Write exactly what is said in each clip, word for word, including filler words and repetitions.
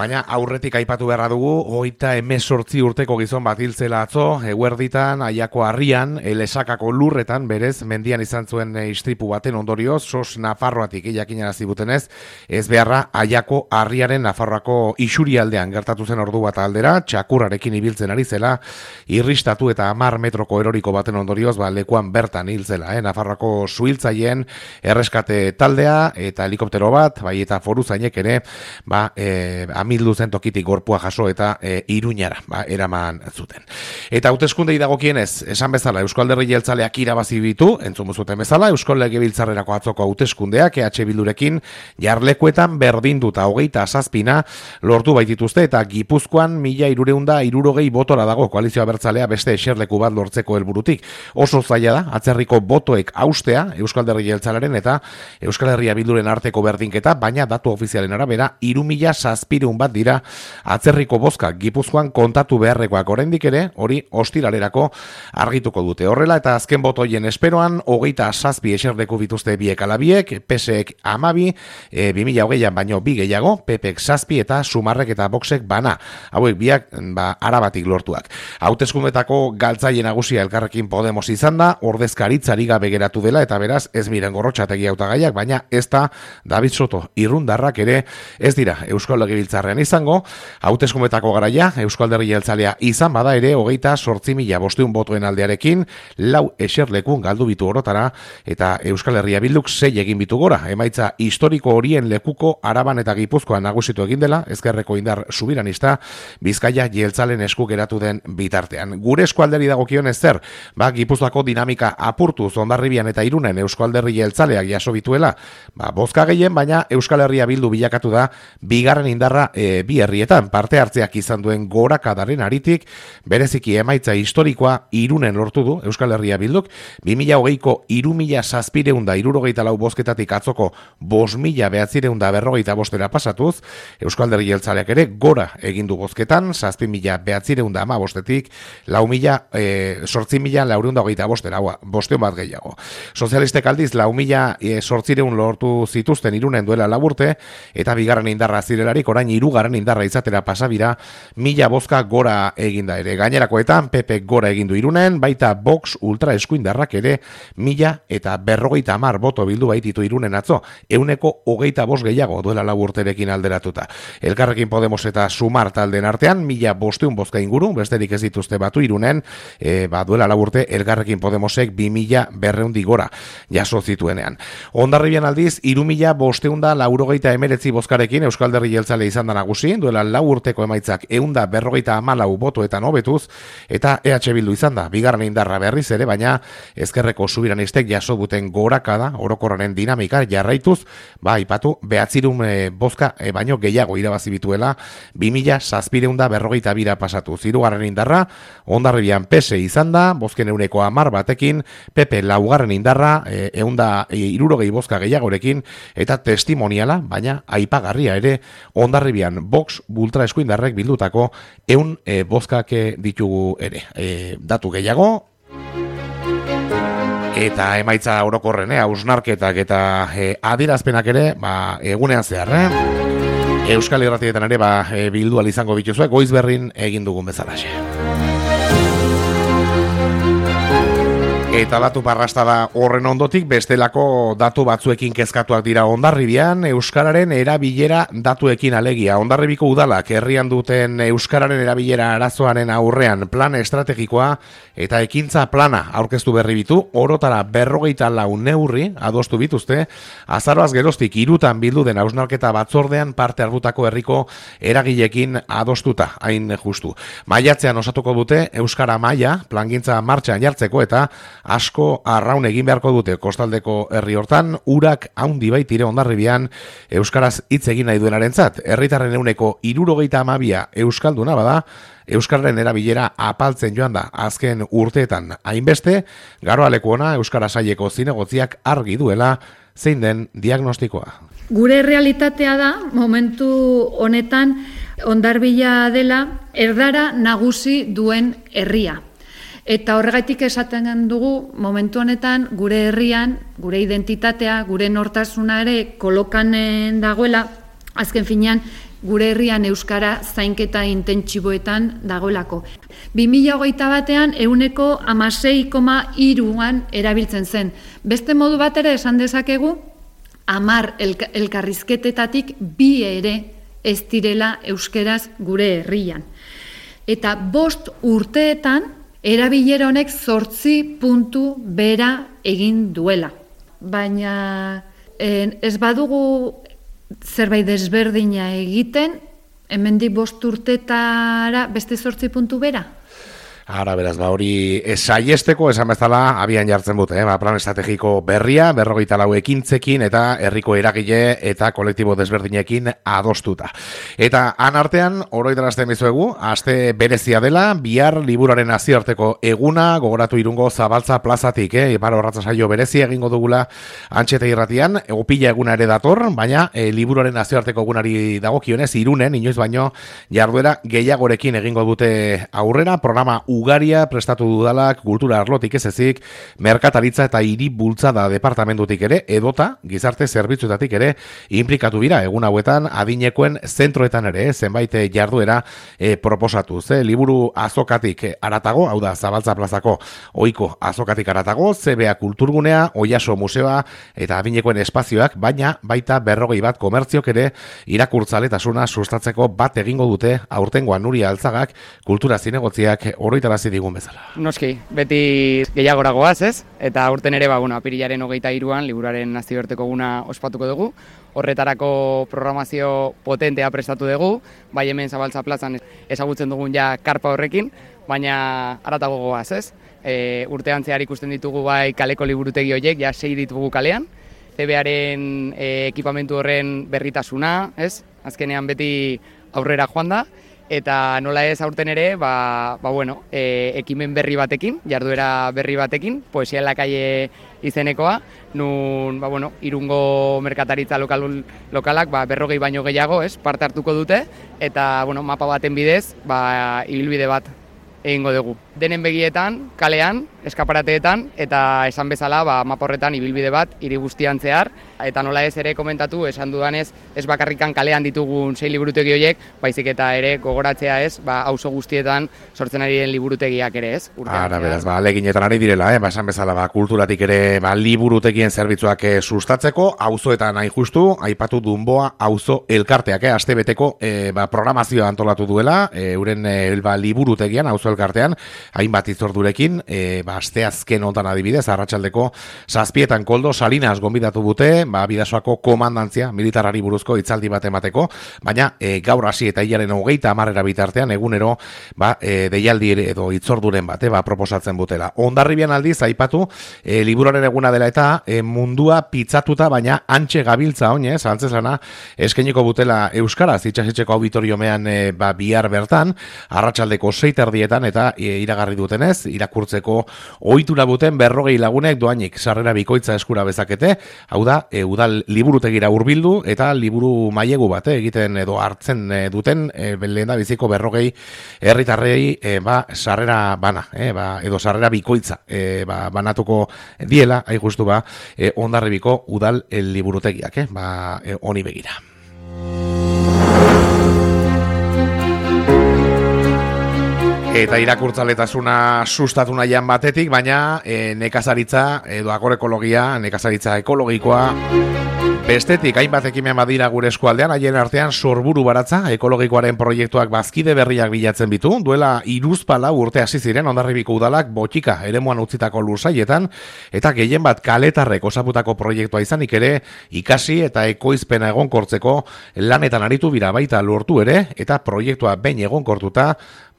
Baina aurretik aipatu beharra dugu, hogeita hemezortzi urteko gizon bat hil zela atzo, eguerditan, Aiako harrian, Lesakako lurretan, berez, mendian izan zuen istripu baten ondorioz, sos Nafarroatik jakinarazi butenez, ez beharra Aiako harriaren Nafarroako isurialdean gertatu zen ordu bat aldera, txakurrarekin ibiltzen ari zela, irristatu eta hamar metroko eroriko baten ondorioz, ba, lekuan bertan hil zela, eh? Nafarroako suhiltzaileen erreskate taldea eta helikoptero bat, bai eta foruzainek ere, ba, e, amildu zen tokitik gorpua jaso eta e, Iruñara, ba, eraman zuten. Eta hauteskundei dagokienez, esan bezala, Eusko Alderdi Jeltzaleak irabazi ditu, entzun zuten bezala, Eusko Legebiltzarrerako atzoko hauteskundeak E H Bildurekin jarlekuetan berdinduta hogeita zazpina lortu baitituzte eta Gipuzkoan mila hirureunda hirurogei botora dago koalizioa bertzalea beste eserleku bat lortzeko helburutik. Oso zaila da, atzerriko botoek haustea Eusko Alderdi Jeltzalearen eta Euskal Herria Bilduren arteko berdinketa, baina datu ofizialen arabera hiru mila zazpiehun bat dira atzerriko bozka Gipuzkoan kontatu beharrekoak oraindik ere, hori ostiralerako argituko dute. Horrela eta azken botoien esperoan, hogeita zazpi eserleku bituzte biek alabiek, P S ek amabi, e, bi mila hogeian baino bi gehiago, P P ek zazpi eta Sumarrek eta Voxek bana. Hauek biak, ba, arabatik lortuak. Hauteskundetako galtzaile nagusia Elkarrekin Podemos izan da, ordezkaritzari gabe geratu dela eta beraz ez miren gorrotxategi hautagaiak, baina ez da David Soto irundarrak ere ez dira Eusko Legebiltzarrean izango. Hauteskundetako garaia Eusko Alderdi Jeltzalea izan bada ere hogeita zortzi mila bostehun botoen aldearekin lau eserlekun galdu bitu orotara eta Euskal Herria Bilduk sei egin bitu gora. Emaitza historiko horien lekuko Araban eta Gipuzkoan nagusitu egin dela, ezkerreko indar subiranista Bizkaia jeltzalen esku geratu den bitartean. Gure eskualderi dagokionez zer, ba, Gipuzkoako dinamika apurtuz Hondarribian eta Irunen Eusko Alderdi Jeltzaleak jaso bituela, ba, bozka gehien, baina Euskal Herria Bildu bilakatu da bigarren indarra e, bi herrietan parte hartzeak izan duen gorakadaren aritik, bereziki emaitza historikoa Irunen lortu du Euskal Herria Bilduk, bi mila hogeiko hiru mila zazpiehun eta hirurogeita lau bozketatik atzoko bost mila bederatziehun eta berrogeita bostera pasatuz, Eusko Alderdi Jeltzaleak ere gora egin du bozketan, zazpi mila bederatziehun eta hamabostetik lau mila, e, sortzi mila laurehun eta hogeita bostera, bosteun bat gehiago. Sozialistek aldiz lau mila e, sortziehun lortu zituzten Irunen duela laburte, eta bigarren indarra zirelarik orain hirugarren indarra izatera pasabira mila bozka gora eginda ere. Gainerakoetan P P gora egin du Irunen, baita Vox ultra eskuindarrak ere mila eta berrogeita hamar boto bildu baititu Irunen atzo, euneko hogeita bost gehiago duela lau urterekin alderatuta. Elkarrekin Podemos eta Sumar talden artean mila bosteun bozka inguru, besterik ez dituzte batu Irunen, e, ba, duela lau urte Elkarrekin Podemosek bi mila berreundi gora jaso zituenean. Hondarribian aldiz, hiru mila bosteun da laurogeita emeretzi bozkarekin Euskal Alderdi Jeltzale izan da nagusi, duela lau urteko emaitzak eunda berrogeita hamalau botoetan hobetuz, eta E H Bildu izan da, bigarren indarra berriz ere, baina ezkerreko subiranistek jaso duten gorakada, orokorraren dinamika jarraituz, ba, ipatu, behatzirun e, bozka e, baino gehiago irabazi bituela, bi mila zazpiehun eta berrogeita bira pasatu. Hirugarren indarra, Hondarribian P S izan da, bozken euneko hamar batekin, P P laugarren indarra, e, eunda e, hirurogei bozka gehiagorekin, eta testimoniala, baina aipagarria ere, Hondarribian Vox ultra eskuindarrek bildutako eun e, bozkak ditugu ere. E, datu gehiago, eta emaitza orokorren, eh, hausnarketak eta e, adierazpenak ere, ba, egunean zehar, eh? Euskal Irratietan ere, ba, e, bildu ahal izango bituzue, Goizberrin egin dugun bezalaxe. Eta datu parrasta da horren ondotik, bestelako datu batzuekin kezkatuak dira Hondarribian, euskararen erabilera datuekin alegia. Hondarribiko udalak herrian duten euskararen erabilera arazoaren aurrean plan estrategikoa eta ekintza plana aurkeztu berri bitu, orotara berrogeita lau neurri adostu bituzte, azaroaz geroztik hirutan bildu den hausnarketa batzordean parte hartutako herriko eragilekin adostuta, hain justu. Maiatzean osatuko dute euskara maila plangintza martxan jartzeko eta asko arraun egin beharko dute kostaldeko herri hortan, urak haundi baitire Hondarribian euskaraz hitz egin nahi duenarentzat. Herritarren euneko hirurogeita hamabia euskalduna bada, euskararen erabilera apaltzen joan da azken urteetan. Hainbeste, garoaleku ona euskara saileko zinegotziak argi duela zein den diagnostikoa. Gure realitatea da, momentu honetan, Hondarbila dela erdara nagusi duen herria. Eta horregatik esaten dugu, momentu honetan, gure herrian, gure identitatea, gure nortasuna ere kolokan dagoela, azken finean, gure herrian euskara zainketa intentsiboetan dagoelako. bi mila hogeita batean ehuneko hamasei koma hiruan erabiltzen zen. Beste modu batera esan dezakegu, hamar elk- elkarrizketetatik bi ere ez direla euskeraz gure herrian. Eta bost urteetan erabilera honek zortzi puntu bera egin duela. Baina eh, ez badugu zerbait desberdina egiten, hemendik bost urtetara beste zortzi puntu bera? Ara, beraz, ba, hori saiesteko esan bezala abian jartzen dute, eh? Ba, plan estrategiko berria, berrogeita lau ekintzekin eta herriko eragile eta kolektibo desberdinekin adostuta. Eta han artean, oroitarazten bizuegu, aste berezia dela, bihar liburuaren nazioarteko eguna, gogoratu Irungo Zabaltza plazatik, eh? Ipar horratza saio berezia egingo dugula Antxete irratian, egopila eguna ere dator, baina e, liburuaren nazioarteko egunari dagokionez, Irunen, inoiz baino, jarduera gehiagorekin egingo dute aurrera, programa ugaria prestatu dudalak kultura arlotik ez ezik, merkataritza eta hiri bultzada departamentutik ere, edota gizarte zerbitzuetatik ere inplikatu bira egun hauetan adinekoen zentroetan ere, zenbait jarduera e, proposatu. Ze liburu azokatik aratago, hau da Zabaltza plazako ohiko azokatik aratago, Z B A kulturgunea, Oiaso museoa eta adinekoen espazioak, baina baita berrogei bat komertziok ere irakurtzaletasuna sustatzeko bat egingo dute aurtengoan Nuria Altzagak kultura zinegotziak oroitarazi digun bezala. Noski, beti gehiagoragoaz, ez? Eta aurten ere, ba, bueno, apirilaren hogeita hiruan liburuaren nazioarteko eguna ospatuko dugu. Horretarako programazio potentea prestatu dugu, bai hemen Zabaltza plazan ezagutzen dugun ja karpa horrekin, baina haratago goaz, ez? E, urtean zehar ikusten ditugu bai kaleko liburutegi horiek, ja sei ditugu kalean, Z B Aren e, ekipamentu horren berritasuna, ez? Azkenean beti aurrera joan da, eta nola ez aurten ere, ba, ba bueno, e, ekimen berri batekin, jarduera berri batekin, Poesia en la calle izenekoa, nun, ba bueno, Irungo merkataritza lokal, lokalak, ba, berrogei baino gehiago, ez, parte hartuko dute, eta, bueno, mapa baten bidez, ba, ibilbide bat egingo dugu. Denen begietan, kalean, eskaparateetan, eta esan bezala, ba, mapa horretan ibilbide bat, hiri guztian zehar, eta nola ez ere komentatu, esan dudanez, ez bakarrikan kalean ditugun sei liburutegi horiek, baizik eta ere gogoratzea ez, ba, auzo guztietan sortzen ari den liburutegiak ere ez. Ara, beraz, ba, leginetan ari direla, eh? Ba, esan bezala, ba, kulturatik ere, ba, liburutegien zerbitzuak eh, sustatzeko, auzoetan nahi justu, aipatu Dunboa auzo elkarteak, eh? Astebeteko eh, ba, programazioa antolatu duela, eh, euren eh, ba, liburutegian, auzo elkartean, hainbat itzordurekin, e, ba, asteazken honetan adibidez, arratsaldeko zazpietan koldo, Salinas gonbidatu dute, ba, Bidasoako komandantzia militarari buruzko hitzaldi bat emateko, baina e, gaur hasi eta hilaren hogeita hamarrera bitartean egunero ba, e, deialdi edo itzorduren bat, e, ba, proposatzen butela. Hondarribian aldiz, aipatu, e, liburuaren eguna dela eta e, mundua pitzatuta, baina antxe gabiltza oinez, antzeslana, eskeniko butela euskaraz, itxasitxeko auditoriomean e, ba, bihar bertan, arratsaldeko sei terdietan eta e, iragarri dutenez, irakurtzeko ohitura buten berrogei lagunek doainik sarrera bikoitza eskura bezakete, hau da, e, udal liburutegira hurbildu eta liburu mailegu bat e, egiten edo hartzen e, duten e, lehenda biziko berrogei herritarrei e, ba, sarrera bana, e, ba, edo sarrera bikoitza e, ba, banatuko diela, hain justu ba, e, Hondarribiko udal e, liburutegiak, e, ba, e, honi begira. Eta irakurtzaletasuna sustatu nahian batetik, baina e, nekazaritza edo agroekologia, nekazaritza ekologikoa bestetik hainbat ekimen badira gure eskualdean, haien artean Sorburu Baratza ekologikoaren proiektuak bazkide berriak bilatzen bitu, duela hiruzpalau urte hasi ziren Hondarribiko udalak botika eremuan utzitako lursaietan, eta gehien bat kaletarrek osaputako proiektua izanik ere, ikasi eta ekoizpena egonkortzeko lanetan aritu bira baita lortu ere, eta proiektua behin egonkortuta,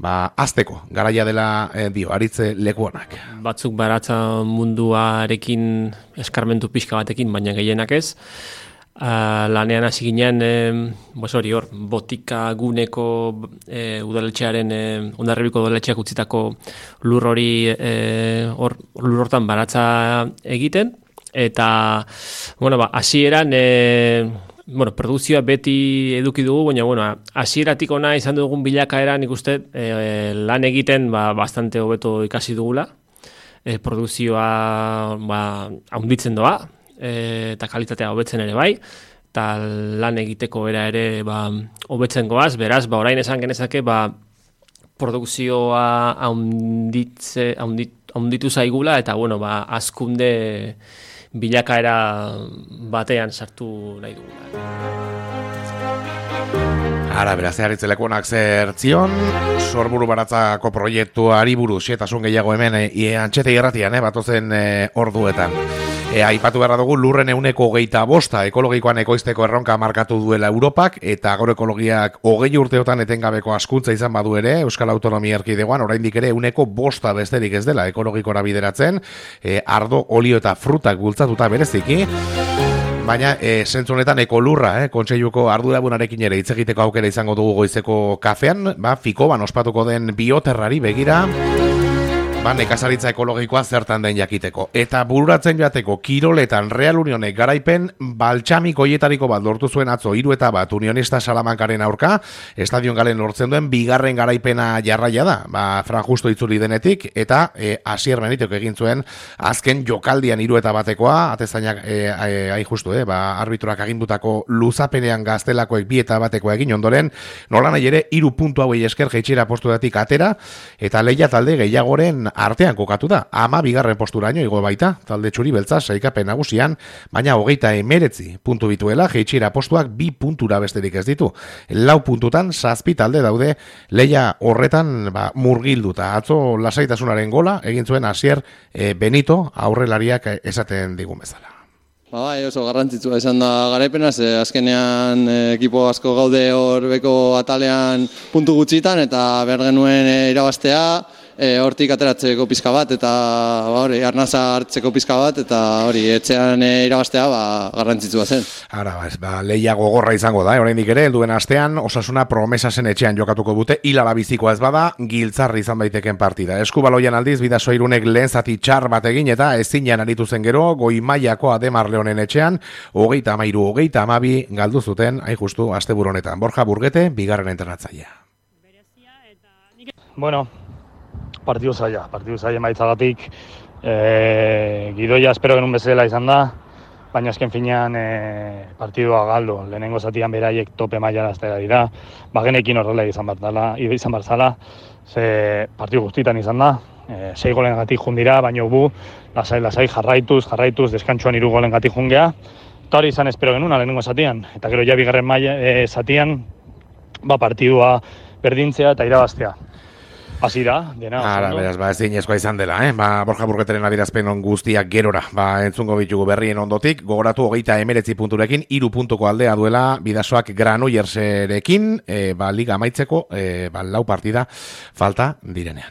ba, azteko, garaia dela eh, dio, aritze lekuanak. Batzuk baratza munduarekin eskarmentu pixka batekin, baina gehienak ez. Uh, lanean hasi ginen, eh, bos hori hor, botika guneko eh, udaletxearen, eh, Hondarribiko udaletxeak utzitako lur hori, eh, hor, lur hortan baratza egiten, eta, bueno, ba, hasieran, eh, bueno, produkzioa beti eduki dugu, baina, bueno, hasieratik ona izan dugun bilakaera, nik uste, eh, lan egiten, ba, bastante hobeto ikasi dugula, eh, produkzioa, ba, haunditzen doa, eta kalitatea hobetzen ere bai, eta lan egiteko era ere ba, hobetzen goaz, beraz, ba, orain esan genezake, ba, produkzioa haunditze, haundit, haunditu zaigula, eta, bueno, ba, azkunde bilakaera batean sartu nahi dugula. Ara, beraz, eharitzelekuonak zertzion, Sorburu Baratzako proiektuari buruz, xetasun gehiago hemen, e, antxete irratian, eh, batozen e, orduetan. E, aipatu beharra dugu lurren euneko hogeita bosta ekologikoan ekoizteko erronka markatu duela Europak, eta agroekologiak hogei urteotan etengabeko askuntza izan badu ere, Euskal Autonomia Erkidegoan, oraindik ere euneko bosta besterik ez dela ekologikora bideratzen, e, ardo, olio eta frutak bultzatuta bereziki, baina e, zentzu honetan ekolurra, eh, kontseiluko ardurabunarekin ere hitz egiteko aukera izango dugu goizeko kafean, ba, Fikoban ospatuko den bioterrari begira, ba, nekazaritza ekologikoa zertan den jakiteko. Eta bururatzen joateko kiroletan Real Unionek garaipen baltxamik hoietariko bat lortu zuen atzo hiru eta bat Unionista Salamankaren aurka, estadion galen lortzen duen bigarren garaipena jarraia da, ba, Fran Justo itzuli denetik, eta e, Asier Benitok egin zuen azken jokaldian hiru eta batekoa, atezainak e, e, ai justu, eh, ba, arbitruak agindutako luzapenean gaztelakoek bi eta batekoa egin ondoren, nola nahi ere hiru puntu hauei esker jeitxera postuetatik atera, eta leia talde gehiagoren artean kokatu da, ama bigarren posturaino igo baita, talde txuri beltza saikapen nagusian, baina hogeita emeretzi puntu bituela, jeitxera postuak bi puntura besterik ez ditu. Lau puntutan zazpi talde daude leia horretan ba, murgilduta. Atzo lasaitasunaren gola, egin zuen Asier e, Benito aurrelariak esaten digun bezala. Ba, bai, oso garrantzitsua izan da garaipena, ze azkenean e, ekipo asko gaude hor beko atalean puntu gutxitan, eta behar genuen e, irabaztea, E, hortik ateratzeko pizka bat, eta ba, hori, arnaza hartzeko pizka bat, eta hori, etxean e, irabaztea ba, garrantzitsua zen. Ara, ba, ba, lehia gogorra izango da, oraindik ere, helduen astean, Osasuna Promesasen etxean jokatuko dute, hilala bizikoa ez bada, giltzarri izan daiteken partida. Eskubaloian aldiz, Bidasoirunek lehen zati txar bat egin, eta ezinean aritu zen gero, goi mailako Ademar Leonen etxean, hogeita amairu, hogeita amabi, galdu zuten, hain justu, asteburu honetan. Borja Burgete, bigarren entrenatzailea. Bueno, partidu zaila, partidu zaila maitzagatik, e, gidoia espero genuen bezala izan da, baina azken finean e, partidua galdu, lehenengo zatian beraiek tope mailara aztera dira, bagenekin horrela izan barzala, izan barzala, ze partidu guztitan izan da, e, sei golen gatik jundira, baina bu, lasai, lasai jarraituz, jarraituz, deskantsuan hiru golen gatik jungea, eta hori izan espero genuen lehenengo zatian, eta gero ja bigarren maila e, zatian, ba partidua berdintzea eta irabaztea. Hasi da, dena. Ara, beraz, ba, ezin ezkoa izan dela, eh? Ba, Borja Burgeteren adierazpen on guztiak gerora, ba, entzungo bitugu berrien ondotik, gogoratu hogeita emeretzi punturekin, hiru puntuko aldea duela, Bidasoak Granoillerserekin, e, ba, liga amaitzeko, e, ba, lau partida falta direnean.